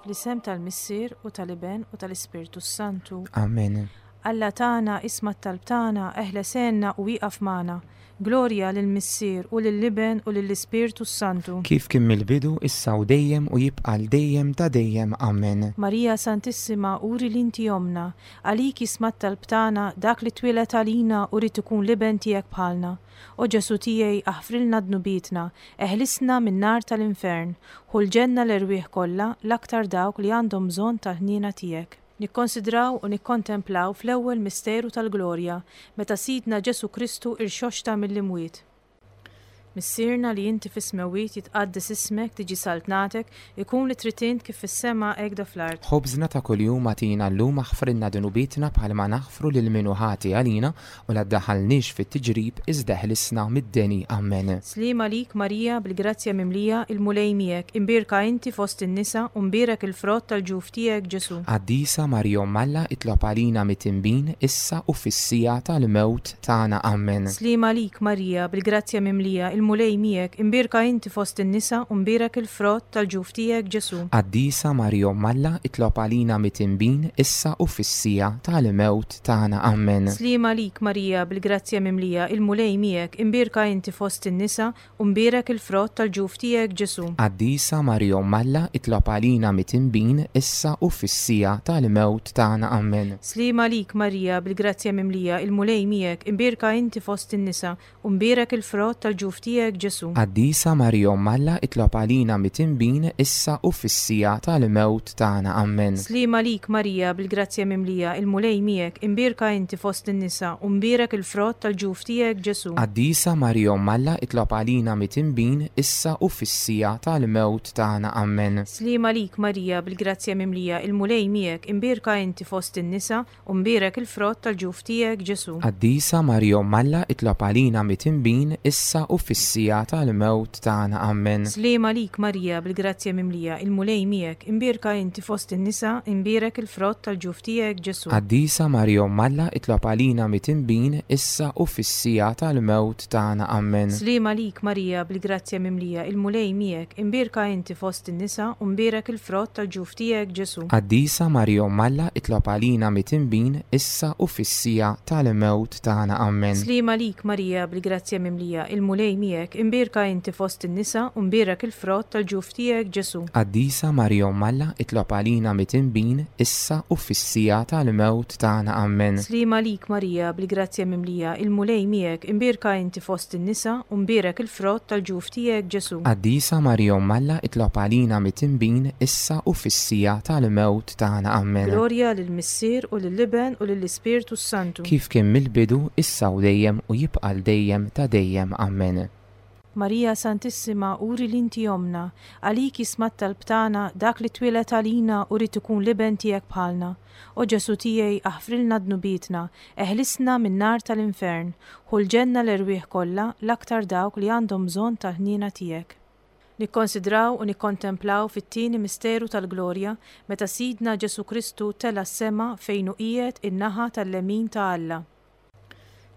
Fl-isem tal-Missier u tal-Iben u tal-Ispirtu s-Santu. Amen. Alla tagħna, isma' t-talb tagħna, eħles għenna u ieqaf magħna. Glorja lill-Missier u lill-Iben u lill-Ispirtu s-Santu. Kif kien mill-bidu, issa u dejjem u jibqa' għal dejjem ta' dejjem. Amen. Marija Santissima, uri li inti ommna. Għalik jisma' t-talb tagħna, dak li twieled għalina u ried ikun l-Iben tiegħek bħalna. O Ġesù tiegħi, aħfrilna dnubietna, eħlisna min-nar tal-infern, ħu l-ġenna l-erwieħ kollha, l-aktar dawk li għandhom bżonn tal-ħniena tiegħek. Nikkonsidraw u nikkontemplaw fl-ewwel misteru tal-glorja, meta Sidna Ġesù Kristu irxoxta mill-imwiet. Missierna li inti fis-smewwiet jitqaddes ismek, tiġi saltnatek, ikun li trid int kif fis-sema hekk da fl-art. Ħobżna ta' kuljum agħtina llum aħfrilna dnubietna bħalma naħfru lil min hu ħati għalina U la ddaħħalniex fit-tiġrib, iżda eħlisna mid-deni. Ammen. Sliem għalik Marija, bil-grazzja mimlija, il-Mulej miegħek, imbierka inti fost in-nisa u mbierek il-frott tal-ġuf tiegħek Ġesù. Qaddisa Marija Omm Alla itlob għalina mitinbin, issa u fis-siegħa tal-mewt tagħna. Ammen. Sliem għalik Marija, bil-grazzja mimlija, il-Mulej miegħek, imbierka inti fost in-nisa u mbierek il-frott tal-ġuf tiegħek Ġesù. Qaddisa Marija Omm Alla itlob għalina mitinbin, issa u fis-siegħa tal-mewt tagħna. Ammen. Sliem għalik Marija, bil-grazzja mimlija, il-Mulej miegħek, imbierka inti fost in-nisa, u mbierek il-frott tal-ġuf tiegħek Ġesù. Qaddisa Marija Omm Alla, itlob għalina mitinbin, issa u fis-siegħa tal-mewt tagħna. Ammen. Sliem għalik Marija, bil-grazzja mimlija, il-Mulej miegħek, imbierka inti fost in-nisa, U mbierek il-frott tal-ġuf tiegħek, Ġesù. Qaddisa Marija Omm Alla itlob għalina mitinbin issa u fis-siegħa tal-mewt tagħna. Ammen. Sliem għalik Marija bil-grazzja mimlija, il-Mulej miegħek, imbierka inti fost in-nisa, u mbierek il-frott tal-ġuf tiegħek, Ġesù. Qaddisa Marija Omm Alla itlob għalina mitinbin issa u fis-siegħa tal-mewt tagħna. Ammen. Sliem għalik Marija bil-grazzja mimlija, il-Mulej miegħek, imbierka inti fost in-nisa, U mbierek il-frott tal-ġuf tiegħek, Ġesù. Qaddisa Marija Omm Alla itlob għalina mitinbin issa u fis-siegħa tal-mewt tagħna. Ammen. Sliem għalik Marija bil-grazzja mimlija, il-Mulej miegħek, imbierka inti fost in-nisa, imbierek il-frott tal-ġuf tiegħek, Ġesù. Qaddisa Marija Omm Alla itlob għalina mitinbin issa u fis-siegħa tal-mewt tagħna. Ammen. Sliem għalik Marija bil-grazzja mimlija, il-Mulej miegħek, imbierka inti fost in-nisa, u mbierek il-frott tal-ġuf tiegħek, Ġesù. Qaddisa Marija Omm Alla itlob għalina mitinbin issa u fis-siegħa tal-mewt tagħna. Ammen. Sliem għalik Marija bil-grazzja mimlija, il-Mulej miegħek, imbierka inti fost in-nisa u mbierek il-frott tal-ġuf tiegħek Ġesù. Qaddisa Marija Omm Alla itlob għalina mitinbin issa u fis-siegħa tal-mewt tagħna. Ammen. Sliem għalik Marija bil-grazzja mimlija, il-Mulej miegħek, imbierka inti fost in-nisa u mbierek il-frott tal-ġuf tiegħek Ġesù. Qaddisa Marija Omm Alla itlob għalina mitinbin issa u fis-siegħa tal-mewt tagħna. Ammen. Glorja lill-Missier u lill-Iben u lill-Ispirtu s-Santu. Kif kien mill-bidu, issa u dejjem u jibqa' għal dejjem ta' dejjem. Ammen. Marija Santissima uri li inti ommna, għalik jisma' t-talb tagħna dak li twieled għalina u ried ikun l-Iben tiegħek bħalna. O Ġesù tiegħi aħfrilna dnubietna, eħlisna min-nar tal-infern, ħu l-ġenna l-erwieħ kollha, l-aktar dawk li għandhom bżonn tal-ħniena tiegħek. Nikkonsidraw u nikkontemplaw fit-tieni misteru tal-glorja meta Sidna Ġesù Kristu tela' s-sema fejn hu qiegħed in-naħa tal-lemin ta' Alla.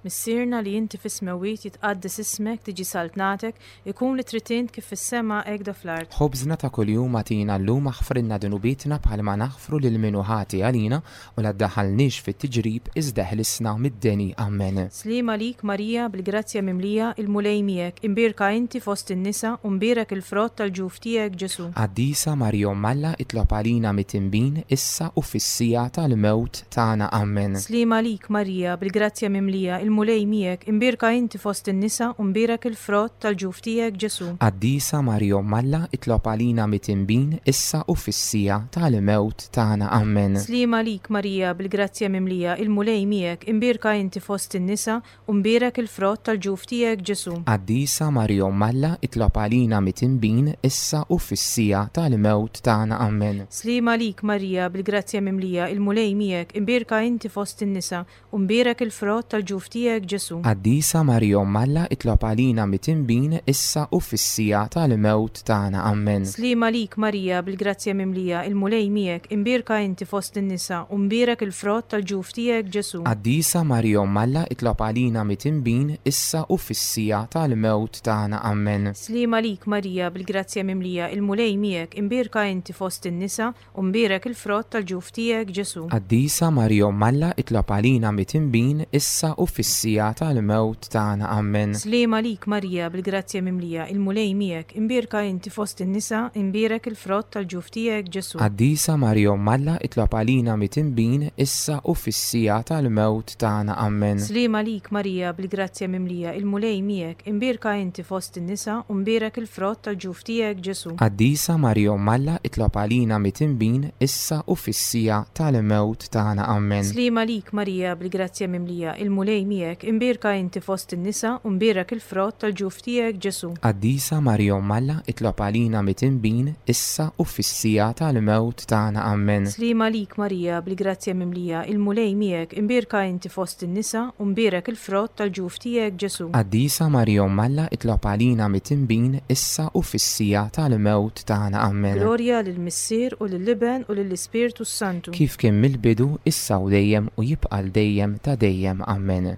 Missierna li inti fis-smewwiet jitqaddes ismek, tiġi saltnatek, ikun li trid int kif fis-sema hekk da fl-art. Ħobżna ta' kuljum agħtina llum aħfrilna dnubietna bħalma naħfru lil min hu ħati għalina u la ddaħħalniex fit-tiġrib iżda eħlisna mid-deni. Ammen. Sliem għalik Marija bil-grazzja mimlija, il-Mulej miegħek, imbierka inti fost in-nisa u mbierek il-frott tal-ġuf tiegħek Ġesù. Qaddisa Marija Omm Alla itlob għalina mitinbin issa u fis-siegħa tal-mewt tagħna. Ammen. Sliem għalik Marija, bil-grazzja mimlija, il-Mulej miegħek, imbierka inti fost in-nisa u mbierek il-frott tal-ġuf tiegħek Ġesù. Qaddisa Marija Omm Alla itlob għalina mitinbin issa u fis-siegħa tal-mewt tagħna. Ammen. Sliem għalik Marija, bil-grazzja mimlija, il-Mulej miegħek, imbierka inti fost in-nisa U mbierek il-frott tal-ġuf tiegħek, Ġesù. Qaddisa Marija Omm Alla itlob għalina mitinbin issa u fis-siegħa tal-mewt tagħna. Ammen. Sliem għalik Marija, bil-grazzja mimlija, il-Mulej miegħek, imbierka inti fost in-nisa, u mbierek il-frott tal-ġuf tiegħek, tiegħek Ġesù. Qaddisa Marija Omm Alla itlob għalina mitinbin issa u fis-siegħa tal-mewt tagħna. Ammen. Sliem għalik Marija bil-grazzja mimlija, il-Mulej miegħek, imbierka inti fost in-nisa u mbierek il-frott tal-ġuf tiegħek Ġesù. Qaddisa Marija Omm Alla itlob għalina mitinbin issa u fis-siegħa tal-mewt tagħna. Ammen. Sliem għalik Marija bil-grazzja mimlija, il-Mulej miegħek, imbierka inti fost in-nisa U mbierek il-frott tal-ġuf tiegħek, Ġesù. Qaddisa Marija Omm Alla itlob għalina mitinbin issa u fis-siegħa tal-mewt tagħna. Ammen. Sliem għalik Marija bil-grazzja mimlija, il-Mulej miegħek, imbierka inti fost in-nisa, imbierek il-frott tal-ġuf tiegħek, Ġesù. Qaddisa Marija Omm Alla itlob għalina mitinbin issa u fis-siegħa tal-mewt tagħna. Ammen. Sliem għalik Marija bil-grazzja mimlija, il-Mulej miegħek, imbierka inti fost in-nisa, u mbierek il-frott tal-ġuf tiegħek, Ġesù. Qaddisa Marija Omm Alla itlob għalina mitinbin issa u fis-siegħa tal-mewt tagħna. Ammen. Sliem għalik Marija bil-grazzja mimlija, il-Mulej miegħek, imbierka inti fost in-nisa u mbierek il-frott tal-ġuf tiegħek Ġesù. Qaddisa Marija Omm Alla itlob għalina mitinbin issa u fis-siegħa tal-mewt tagħna. Ammen. Sliem għalik Marija bil-grazzja mimlija, il-Mulej miegħek, imbierka inti fost in-nisa u mbierek il-frott tal-ġuf tiegħek Ġesù. Qaddisa Marija Omm Alla itlob għalina mitinbin issa u fis-siegħa tal-mewt tagħna. Ammen. Glorja lill-Missier u lill-Iben u lill-Ispirtu s-Santu. Kif kien mill-bidu, issa u dejjem u jibqa' għal dejjem ta' dejjem. Ammen.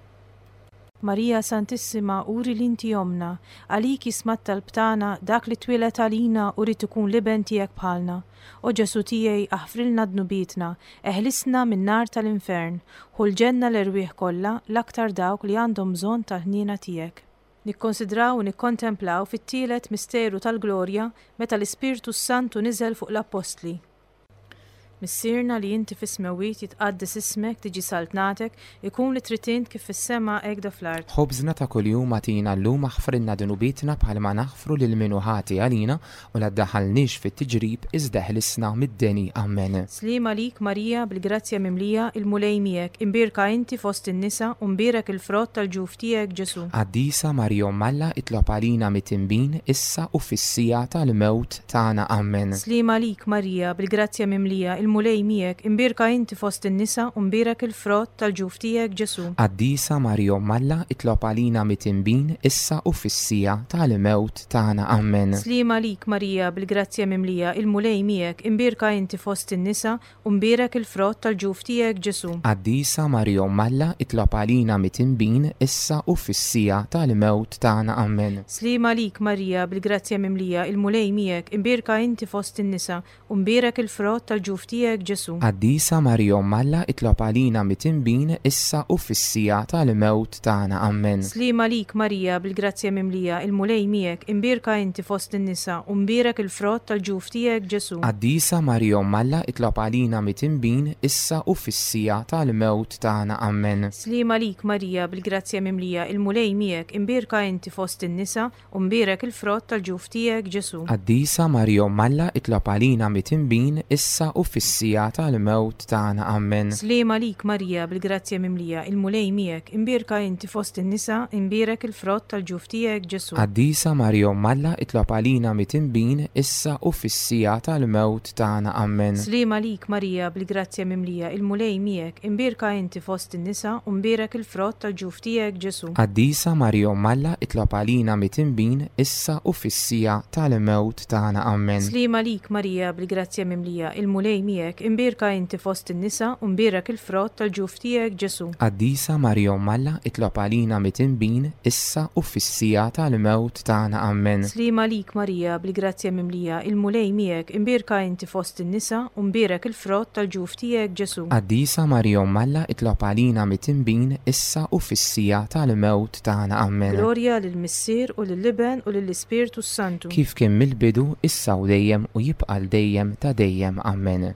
Marija Santissima uri li inti Ommna, għalik jisma' t-talb tagħna dak li twieled għalina u ried ikun l-Iben tiegħek bħalna. O Ġesù tiegħi aħfrilna dnubietna, eħlisna min-nar tal-infern, ħu l-ġenna l-erwieħ kollha, l-aktar dawk li għandhom bżonn tal-ħniena tiegħek. Nikkonsidraw u nikkontemplaw fit-tielet misteru tal-glorja meta l-Ispirtu s-Santu niżel fuq l-Appostli. Missierna li inti fis-smewwiet jitqaddes ismek, tiġi saltnatek, ikun li trid int kif fis-sema hekk do fl-art. Ħobżna ta' kuljum agħtina llum aħfrilna dnubietna bħalma naħfru lil min hu ħati għalina U la ddaħħalniex fit-tiġrib, iżda eħlisna mid-deni. Ammen. Sliem għalik Marija, bil-grazzja mimlija, il-Mulej miegħek, imbierka inti fost in-nisa u mbierek il-frott tal-ġuf tiegħek Ġesù. Qaddisa Marija Omm Alla itlob għalina mitinbin, issa u fis-siegħa tal-mewt tagħna. Ammen. Sliem għalik Marija, bil-grazzja mimlija, il-Mulej miegħek, imbierka inti fost in-nisa u mbierek il-frott tal-ġuf tiegħek Ġesù. Qaddisa Marija Omm Alla itlob għalina mitinbin, issa u fis-siegħa tal-mewt tagħna. Ammen. Sliem għalik Marija, bil-grazzja mimlija, il-Mulej miegħek, imbierka inti fost in-nisa, u mbierek il-frott tal-ġuf tiegħek Ġesù. Qaddisa Marija Omm Alla, itlob għalina mitinbin, issa u fis-siegħa tal-mewt tagħna. Ammen. Sliem għalik Marija, bil-grazzja mimlija, il-Mulej miegħek, imbierka inti fost in-nisa, U mbierek il-frott tal-ġuf tiegħek, Ġesù. Qaddisa Marija Omm Alla itlob għalina mitinbin issa u fis-siegħa tal-mewt tagħna. Ammen. Sliem għalik Marija bil-grazzja mimlija, il-Mulej miegħek, imbierka inti fost in-nisa, u mbierek il-frott tal-ġuf tiegħek, Ġesù. Qaddisa Marija Omm Alla itlob għalina mitinbin issa u fis-siegħa tal-mewt tagħna. Ammen. Sliem għalik Marija bil-grazzja mimlija, il-Mulej miegħek, imbierka inti fost in-nisa, U mbierek il-frott tal-ġuf tiegħek, Ġesù. Qaddisa Marija Omm Alla itlob għalina mitinbin issa u fis-siegħa tal-mewt tagħna. Ammen. Sliem għalik Marija bil-grazzja mimlija, il-Mulej miegħek, imbierka inti fost in-nisa, imbierek il-frott tal-ġuf tiegħek, Ġesù. Qaddisa Marija Omm Alla itlob għalina mitinbin issa u fis-siegħa tal-mewt tagħna. Ammen. Sliem għalik Marija bil-grazzja mimlija, il-Mulej miegħek, imbierka inti fost in-nisa, u mbierek il-frott tal-ġuf tiegħek, Ġesù. Qaddisa Marija Omm Alla itlob għalina mitinbin issa u fis-siegħa tal-mewt tagħna. Ammen. Sliem għalik Marija bil-grazzja mimlija, il-Mulej miegħek, imbierka inti fost in-nisa u mbierek il-frott tal-ġuf tiegħek Ġesù. Qaddisa Marija Omm Alla itlob għalina mitinbin issa u fis-siegħa tal-mewt tagħna. Ammen. Sliem għalik Marija bil-grazzja mimlija, il-Mulej miegħek, imbierka inti fost in-nisa u mbierek il-frott tal-ġuf tiegħek Ġesù. Qaddisa Marija Omm Alla itlob għalina mitinbin issa u fis-siegħa tal-mewt tagħna. Ammen. Glorja lill-Missier u lill-Iben u lill-Ispirtu s-Santu. Kif kien mill-bidu, issa u dejjem u jibqa' għal dejjem ta' dejjem. Ammen.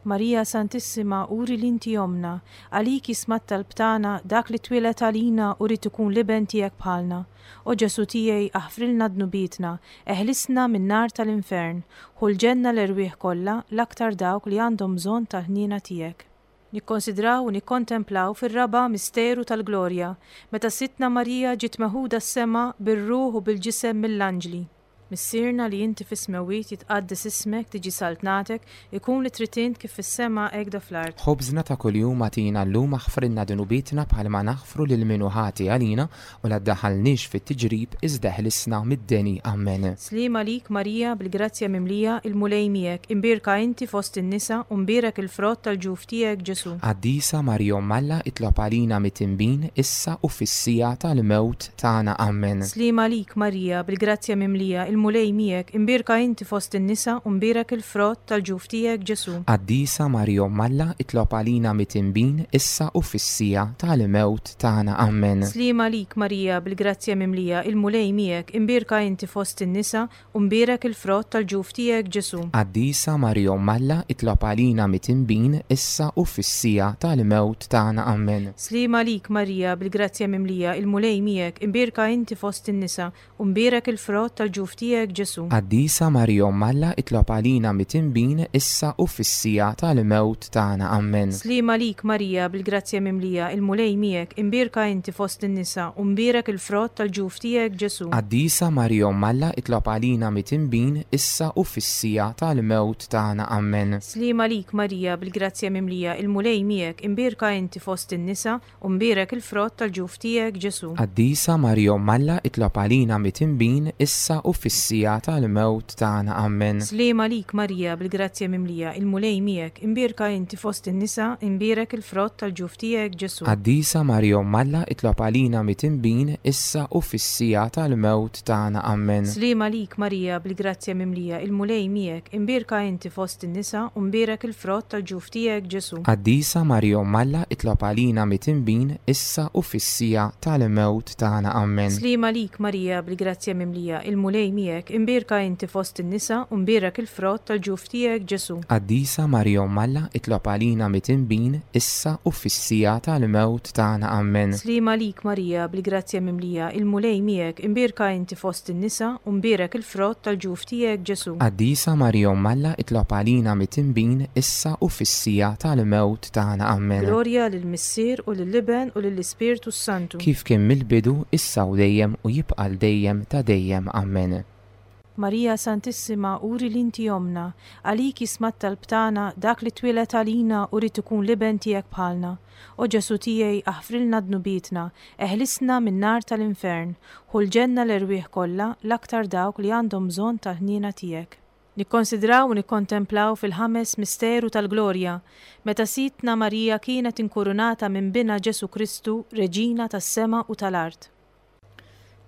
Marija Santissima uri li inti Ommna, għalik jisma' t-talb tagħna dak li twieled għalina u ried ikun l-Iben tiegħek bħalna. O Ġesù tiegħi aħfrilna dnubietna, eħlisna min-nar tal-infern, ħu l-ġenna l-erwieħ kollha, l-aktar dawk li għandhom bżonn tal-ħniena tiegħek. Nikkonsidraw u nikkontemplaw fir-raba' misteru tal-glorja, meta Sidtna Marija ġiet meħuda s-sema bir-ruħ u bil-ġisem mill-anġli. Missierna li inti fis-smewwiet jitqaddes ismek, tiġi saltnatek, ikun li trid int kif fis-sema hekk da fl-art. Ħobżna ta' kuljum agħtina llum aħfrilna dnubietna bħalma naħfru lil min hu ħati għalina u la ddaħħalniex fit-tiġrib iżda eħlisna mid-deni. Amen. Sliem għalik Marija bil-grazzja mimlija, il-Mulej miegħek, imbierka inti fost in-nisa u mbierek il-frott tal-ġuf tiegħek Ġesù. Qaddisa Marija Omm Alla itlob għalina mitinbin issa u fis-siegħa tal-mewt tagħna. Amen. Sliem għalik Marija, bil-grazzja mimlija, il-Mulej miegħek, imbierka inti fost in-nisa u mbierek il-frott tal-ġuf tiegħek Ġesù. Qaddisa Marija Omm Alla itlob għalina mitinbin issa u fis-siegħa tal-mewt tagħna. Amen. Sliem għalik Marija, bil-grazzja mimlija, il-Mulej miegħek, imbierka inti fost in-nisa u mbierek il-frott tal-ġuf tiegħek Ġesù. Qaddisa Marija Omm Alla itlob għalina mitinbin issa u fis-siegħa tal-mewt tagħna. Amen. Sliem għalik Marija, bil-grazzja mimlija, il-Mulej miegħek, imbierka inti fost in-nisa, u mbierek il-frott tal-ġuf tiegħek Ġesù. Qaddisa Marija Omm Alla itlob għalina mitinbin issa u fis-siegħa tal-mewt tagħna. Amen. Sliem għalik Marija, bil-grazzja mimlija, il-Mulej miegħek, imbierka inti fost in-nisa, u mbierek il-frott tal-ġuf tiegħek Ġesù. Qaddisa Marija Omm Alla itlob għalina mitinbin issa u fis-siegħa tal-mewt tagħna. Amen. Sliem għalik Marija, bil-grazzja mimlija, il-Mulej miegħek, imbierka inti fost in-nisa, u mbierek il-frott tal-ġuf tiegħek Ġesù. Qaddisa Marija Omm Alla itlob għalina mitinbin issa u fis-siegħa tal-mewt tagħna. Amen. Sliem għalik Marija, bil-grazzja mimlija, il-Mulej miegħek, imbierka inti fost in-nisa, imbierek il-frott tal-ġuf tiegħek Ġesù. Qaddisa Marija Omm Alla itlob għalina mitinbin issa u fis-siegħa tal-mewt tagħna. Amen. Sliem għalik Marija, bil-grazzja mimlija, il-Mulej miegħek, imbierka inti fost in-nisa u mbierek il-frott tal-ġuf tiegħek Ġesù. Qaddisa Marija Omm Alla itlob għalina mitinbin issa u fis-siegħa tal-mewt tagħna. Amen. Sliem għalik Marija, bil-grazzja mimlija, il-Mulej miegħek, imbierka inti fost in-nisa u mbierek il-frott tal-ġuf tiegħek Ġesù. Qaddisa Marija Omm Alla itlob għalina mitinbin issa u fis-siegħa tal-mewt tagħna. Amen. Sliem għalik Marija, bil-grazzja mimlija, il-Mulej miegħek, imbierka inti fost in-nisa u mbierek il-frott tal-ġuf tiegħek Ġesù. Qaddisa Marija Omm Alla itlob għalina mitinbin issa u fis-siegħa tal-mewt tagħna. Amen. Glorja lill-Missier u lill-Iben u lill-Ispirtu s-Santu. Kif kien mill-bidu, issa u dejjem u jibqa' għal dejjem ta' dejjem. Amen. Marija Santissima uri li inti ommna, għalik jisma' t-talb tagħna dak li twieled għalina u ried ikun l-Iben tiegħek bħalna. O Ġesù tiegħi aħfrilna dnubietna, eħlisna min-nar tal-infern, ħu l-ġenna l-erwieħ kollha, l-aktar dawk li għandhom bżonn tal-ħniena tiegħek. Nikkonsidraw u nikkontemplaw fil-ħames misteru tal-glorja, meta Sidtna Marija kienet inkurunata minn Binha Ġesù Kristu Reġina tas-sema u tal-art.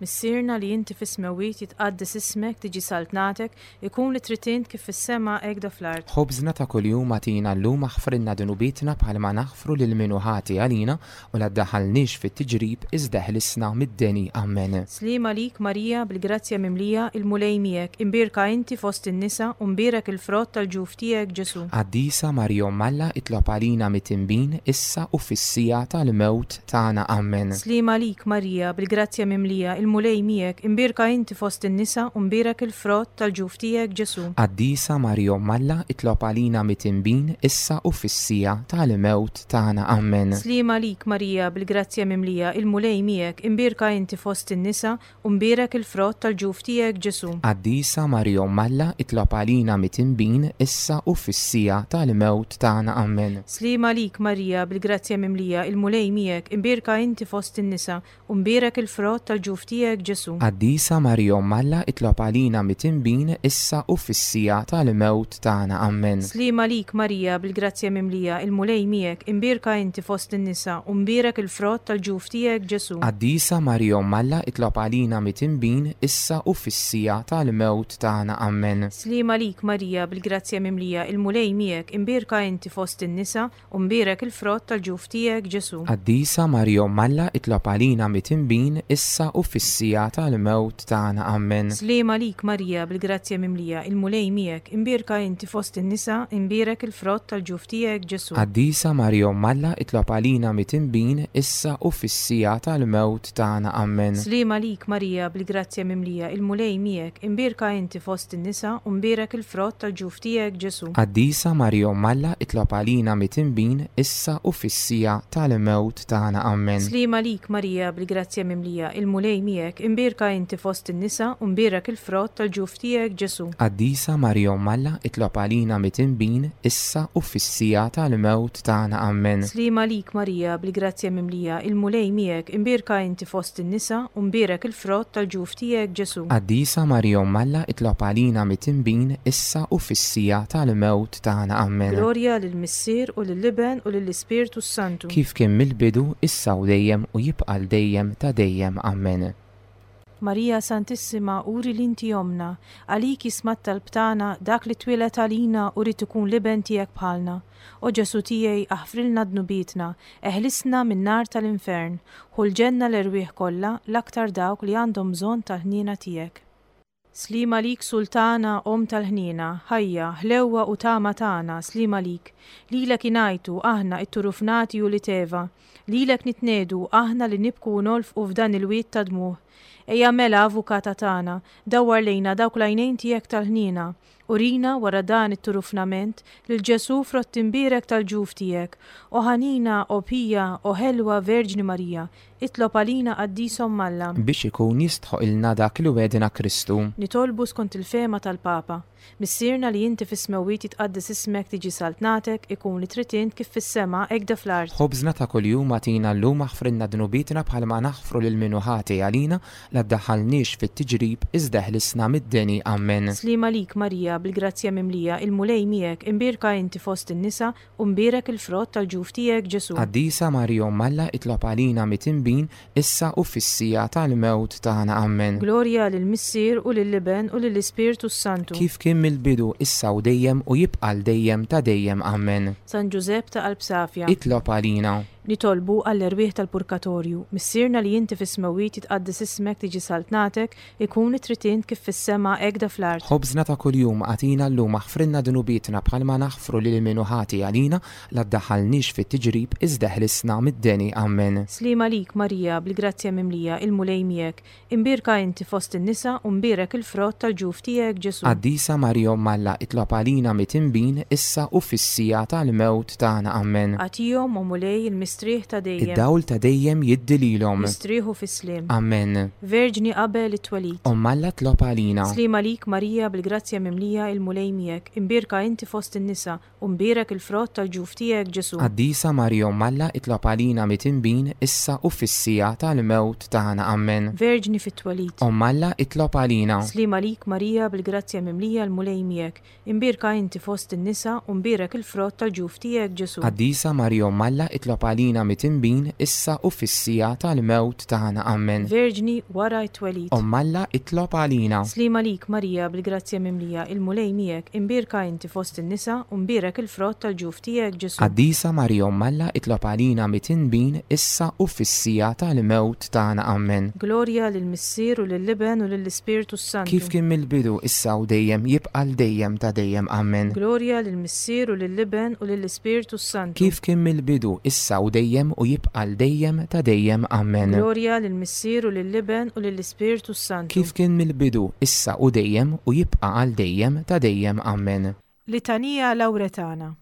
Missierna li inti fis-smewwiet jitqaddes ismek, tiġi saltnatek, ikun li trid int kif fis-sema hekk da fl-art. Ħobżna ta' kuljum agħtina llum aħfrilna dnubietna bħalma naħfru lil min hu ħati għalina u la ddaħħalniex fit-tiġrib iżda eħlisna mid-deni. Amen. Sliem għalik Marija bil-grazzja mimlija, il-Mulej miegħek, imbierka inti fost in-nisa u mbierek il-frott tal-ġuf tiegħek Ġesù. Qaddisa Marija Omm Alla itlob għalina mitinbin issa u fis-siegħa tal-mewt tagħna. Amen. Sliem għalik Marija, bil-grazzja mimlija, il-Mulej miegħek, imbierka inti fost in-nisa u mbierek il-frott tal-ġuf tiegħek Ġesù. Qaddisa Marija Omm Alla itlob għalina mitinbin issa u fis-siegħa tal-mewt tagħna. Amen. Sliem għalik Marija, bil-grazzja mimlija, il-Mulej miegħek, imbierka inti fost in-nisa u mbierek il-frott tal-ġuf tiegħek Ġesù. Qaddisa Marija Omm Alla itlob għalina mitinbin issa u fis-siegħa tal-mewt tagħna. Amen. Sliem għalik Marija, bil-grazzja mimlija, il-Mulej miegħek, imbierka inti fost in-nisa, u mbierek il-frott tal-ġuf tiegħek Ġesù. Qaddisa Marija Omm Alla itlob għalina mitinbin issa u fis-siegħa tal-mewt tagħna. Amen. Sliem għalik Marija, bil-grazzja mimlija, il-Mulej miegħek, imbierka inti fost in-nisa, u mbierek il-frott tal-ġuf tiegħek Ġesù. Qaddisa Marija Omm Alla itlob għalina mitinbin issa u fis-siegħa tal-mewt tagħna. Amen. Sliem għalik Marija, bil-grazzja mimlija, il-Mulej miegħek, imbierka inti fost in-nisa, u mbierek il-frott tal-ġuf tiegħek Ġesù. Qaddisa Marija Omm Alla itlob għalina mitinbin issa u fis-siegħa tal-mewt tagħna. Amen. Sliem għalik Marija, bil-grazzja mimlija, il-Mulej miegħek, imbierka inti fost in-nisa, imbierek il-frott tal-ġuf tiegħek Ġesù. Qaddisa Marija Omm Alla itlob għalina mitinbin issa u fis-siegħa tal-mewt tagħna. Amen. Sliem għalik Marija, bil-grazzja mimlija, il-Mulej miegħek, imbierka inti fost in-nisa u mbierek il-frott tal-ġuf tiegħek Ġesù. Qaddisa Marija Omm Alla itlob għalina mitinbin issa u fis-siegħa tal-mewt tagħna. Amen. Sliem għalik Marija, bil-grazzja mimlija, il-Mulej miegħek, miegħek, imbierka inti fost in-nisa u mbierek il-frott tal-ġuf tiegħek Ġesù. Qaddisa Marija Omm Alla, itlob għalina mitinbin, issa u fis-siegħa tal-mewt tagħna. Ammen. Sliem għalik Marija, bil-grazzja mimlija, il-Mulej miegħek, imbierka inti fost in-nisa u mbierek il-frott tal-ġuf tiegħek Ġesù. Qaddisa Marija Omm Alla, itlob għalina mitinbin, issa u fis-siegħa tal-mewt tagħna. Ammen. Glorja lill-Missier u lill-Iben u lill-Ispirtu s-Santu. Kif kien mill-bidu, issa u dejjem u jibqa' għal dejjem ta' dejjem. Ammen. Marija Santissima uri li inti Ommna, għalik jisma' t-talb tagħna dak li twieled għalina u ried ikun l-Iben tiegħek bħalna. O Ġesù tiegħi aħfrilna dnubietna, eħlisna min-nar tal-infern, ħu l-ġenna l-erwieħ kollha, l-aktar dawk li għandhom bżonn tal-ħniena tiegħek. Sliem għalik Sultana, Omm tal-ħniena, ħajja, ħlewwa u tama tagħna, sliem għalik. Lilek ingħajtu, aħna, it-turufnati ulied Eva. Lilek nitniegħdu, aħna li nibku u nolfqu f'dan il-wied ta' dmugħ. Ejja mela, Avukata tagħna, dawwar lejna dawk l-għajnejn tiegħek tal-ħniena. Urina, wara dan it-turufnament, lil Ġesù frott imbierek tal-ġuf tiegħek. O ħanina, o pija, o ħelwa Verġni Marija, itlob għalina Qaddis Omm Alla. Biex ikun jistħoqilna dak li wegħdna Kristu. Nitolbu skont il-fehma tal-Papa. Missierna li inti fis-smewwiet jitqaddes ismek tiġi saltnatek, ikun li trid int kif fis-sema hekk fl-art. Ħobżna ta' kuljum agħtina llum aħfrilna dnubietna bħalma naħfru lil min hu ħati għalina, La ddaħħalniex fit-tiġrib, iżda eħlisna mid-deni. Ammen. Sliem għalik, Marija, bil-grazzja mimlija, il-Mulej miegħek, imbierka inti fost in-nisa, u mbierek il-frott tal-ġuf tiegħek, Ġesù. Qaddisa Marija Omm Alla, itlob għalina mitinbin, issa u fis-siegħa tal-mewt tagħna. Ammen. Glorja lill-Missier u lill-Iben u lill-Ispirtu s-Santu. Kif kien mill-bidu, issa u dejjem, u jibqa' għal dejjem ta' dejjem. Ammen. San Ġużepp ta' qalb safja. Itlob għalina. Nitolbu għall-erwieħ tal-purkatorju. Missierna li inti fis-smewwiet jitqaddes ismek tiġi saltnatek, ikun li trid int kif fis-sema hekk da fl-art. Ħobżna ta' kuljum agħtina llum aħfrilna dnubietna bħalma naħfru lil min hu ħati għalina, la ddaħħalniex fit-tiġrib iżda eħlisna mid-deni. Ammen. Sliem għalik Marija, bil-grazzja mimlija, il-Mulej miegħek. Imbierka inti fost in-nisa u mbierek il-frott tal-ġuf tiegħek, Ġesù. Qaddisa Marija Omm Alla, itlob għalina mitinbin, issa u fis-siegħa tal-mewt tagħna. Ammen. Agħtihom, o Mulej, il-mistrieħ ta' dejjem. Id-dawl ta' dejjem jiddi lilhom. Jistrieħu fis-sliem. Ammen. Verġni qabel it-twelid. Omm Alla tlob għalina. Sliem għalik Marija bil-grazzja mimlija il-Mulej miegħek, imbierka inti fost in-nisa U mbierek il-frott tal-ġuf tiegħek, Ġesù. Qaddisa Marija Omm Alla, itlob għalina mitinbin, issa u fis-siegħa tal-mewt tagħna. Ammen. Verġni fit-twelid. Omm Alla, itlob għalina. Sliem għalik Marija bil-grazzja mimlija l-Mulej miegħek, imbierka inti fost in-nisa u mbierek il-frott tal-ġuf tiegħek, Ġesù. Qaddisa Marija Omm Alla, itlob għalina mitinbin, issa u fis-siegħa tal-mewt tagħna. Ammen. Verġni wara t-twelid. Omm Alla, itlob għalina. Sliem għalik Marija bil-grazzja mimlija il-Mulej miegħek, imbierka inti fost in-nisa u mbierek il-frott tal-ġuf tiegħek, Ġesù. Qaddisa Marija Omm Alla itlob għalina mitinbin issa u fis-siegħa tal-mewt tagħna. Ammen. Glorja lill-Missier u lill-Iben u lill-Ispirtu s-Santu. Kif kien mill-bidu, issa u dejjem, jibqa' għal dejjem ta' dejjem. Ammen. Glorja lill-Missier u lill-Iben u lill-Ispirtu s-Santu. Kif kien mill-bidu, issa u dejjem, u jibqa' għal dejjem ta' dejjem. Ammen. Glorja lill-Missier u lill-Iben u lill-Ispirtu s-Santu. Kif kien mill-bidu, issa u dejjem, u jibqa' għal dejjem ta' dejjem. Ammen. Litanija Lawretana.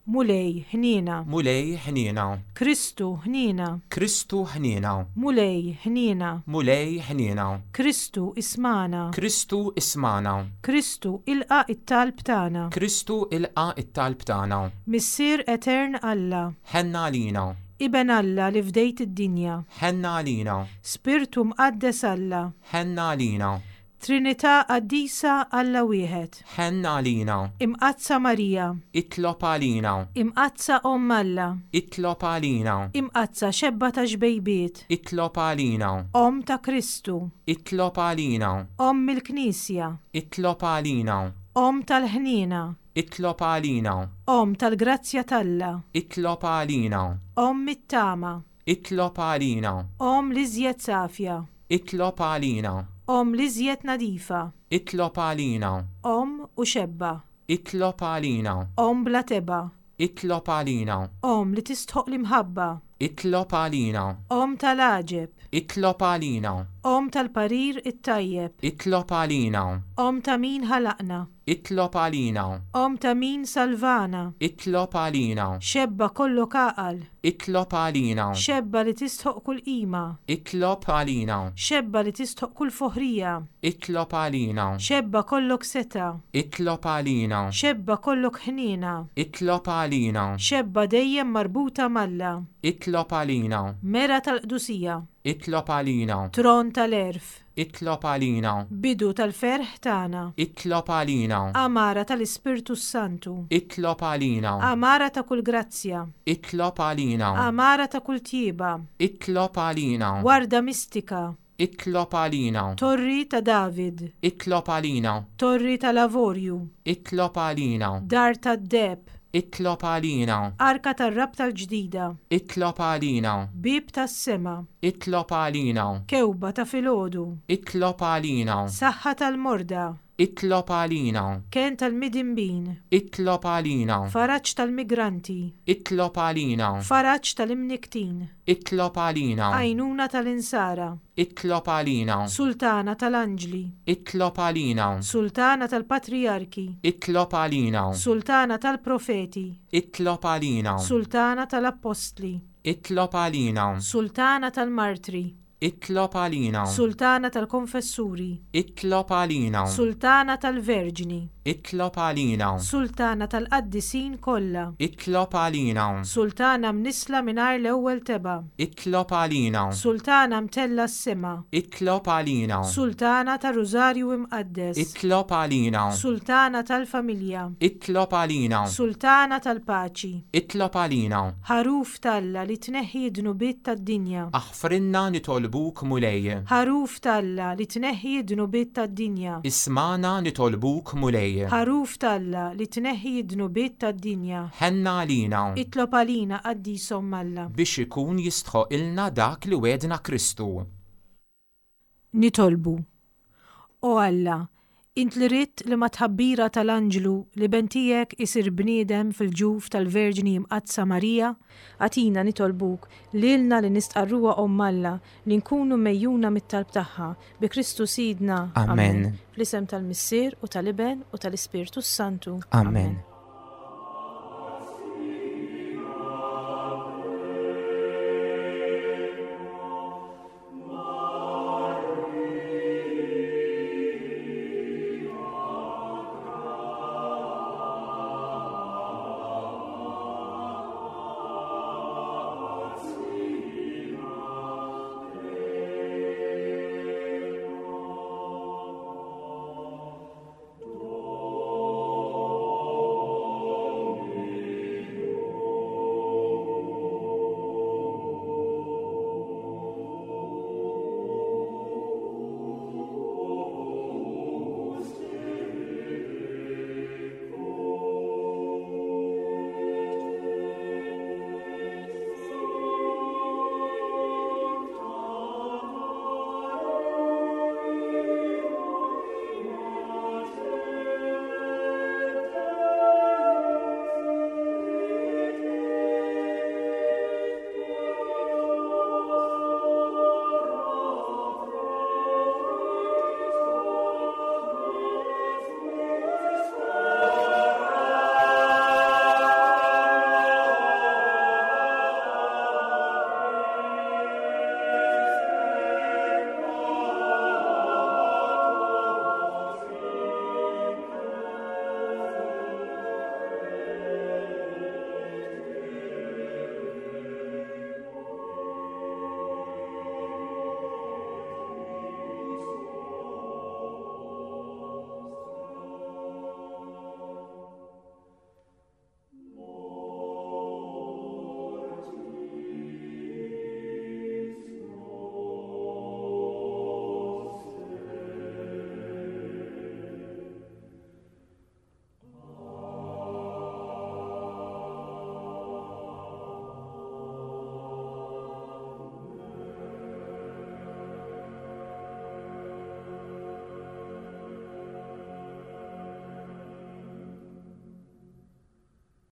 Mulej, ħniena. Mulej, ħniena. Kristu, ħniena. Kristu, ħniena. Mulej, ħniena. Mulej, ħniena. Kristu, ismagħna. Kristu, ismagħna. Kristu, ilqa' t-talb tagħna. Kristu, ilqa' t-talb tagħna. Missier etern Alla. Ħenn għalina. Iben Alla li fdejt id-dinja. Ħenn għalina. Spirtu Mqaddes Alla. Ħenn għalina. Trinità Qaddisa Alla Wieħed. Ħenn għalina. Imqaddsa Marija. Itlob għalina. Imqaddsa Omm Alla. Itlob għalina. Imqaddsa Xebba ta' Xbejbiet. Itlob għalina. Omm ta' Kristu. Itlob għalina. Omm il-Knisja. Itlob għalina. Omm tal-Ħniena. Itlob għalina. Omm tal-Grazzja t'Alla. Itlob għalina. Omm it-Tama. Itlob għalina. Omm l-iżjed safja. Itlob għalina. Omm l-iżjed nadifa. Itlob għalina. Omm u xebba. Itlob għalina. Omm bla tebgħa. Itlob għalina. Omm li tistħoqq l-imħabba. Itlob għalina. Omm tal-għaġeb. Itlob għalina. Omm tal-parir it-tajjeb. Itlob għalina. Omm ta' min ħalaqna. Itlob għalina. Omm ta' min salvana. Itlob għalina. Xebba kollok għaqal. Itlob għalina. Xebba li tistħoqq kull qima. Itlob għalina. Xebba li tistħoqq kull foħrija. Itlob għalina. Xebba kollok setgħa. Itlob għalina. Xebba kollok ħniena. Itlob għalina. Xebba dejjem marbuta m'Alla. Itlob għalina. Mera tal-qdusija. Itlob għalina. Tron tal-għerf. Itlob għalina. Bidu tal-ferħ tagħna. Itlob għalina. Għamara tal-Ispirtu s-Santu. Itlob għalina. Għamara ta' kull grazzja. Itlob għalina. Għamara ta' kull tjieba. Itlob għalina. Warda mistika. Itlob għalina. Torri ta' David. Itlob għalina. Torri tal-avorju. Itlob għalina. Dar tad-deheb. Itlob għalina. Arka tar-Rabta l-Ġdida. Itlob għalina. Bieb tas-sema. Itlob għalina. Kewba ta' filgħodu. Itlob għalina. Saħħa tal-morda. Itlob għalina. Kenn tal-midinbin. Itlob għalina. Faraġ tal-migranti. Itlob għalina. Faraġ tal-imnikktin. Itlob għalina. Għajnuna tal-insara. Itlob għalina. Sultana tal-anġli. Itlob għalina. Sultana tal-patrijarki. Itlob għalina. Sultana tal-profeti. Itlob għalina. Sultana tal-appostli. Itlob għalina. Sultana tal-martri. Itlob għalina. Sultana tal-konfessuri. Itlob għalina. Sultana tal-verġni. Itlob għalina. Sultana tal-qaddisin kollha. Itlob għalina. Sultana mnissla mingħajr l-ewwel tebgħa. Itlob għalina. Sultana mtellgħa s-sema. Itlob għalina. Sultana tar-Rużarju Imqaddes. Itlob għalina. Sultana tal-familja. Itlob għalina. Sultana tal-paċi. Itlob għalina. Ħaruf t'Alla li tneħħi d-dnubiet tad-dinja. Aħfrilna nitolbuk Mulej. Ħaruf t'Alla li tneħħi d-dnubiet tad-dinja. Ismagħna nitolbuk Mulej. Ħaruf t'Alla li tneħħi d-dnubiet tad-dinja. Ħenna għalina. Itlob għalina Qaddis Omm Alla. Biex ikun jistħoqilna dak li wegħdna Kristu. Nitolbu. O Alla, int li ridt li mat-tħabbira tal-anġlu l-Iben tiegħek isir bniedem fil-ġuf tal-Verġni Mqaddsa Marija, agħtina nitolbuk lilna li nistqarruha Omm Alla li nkunu megħjuna mit-talb tagħha, bi Kristu Sidna. Amen. Fl-isem tal-Missier u tal-Iben u tal-Ispirtu s-Santu. Amen.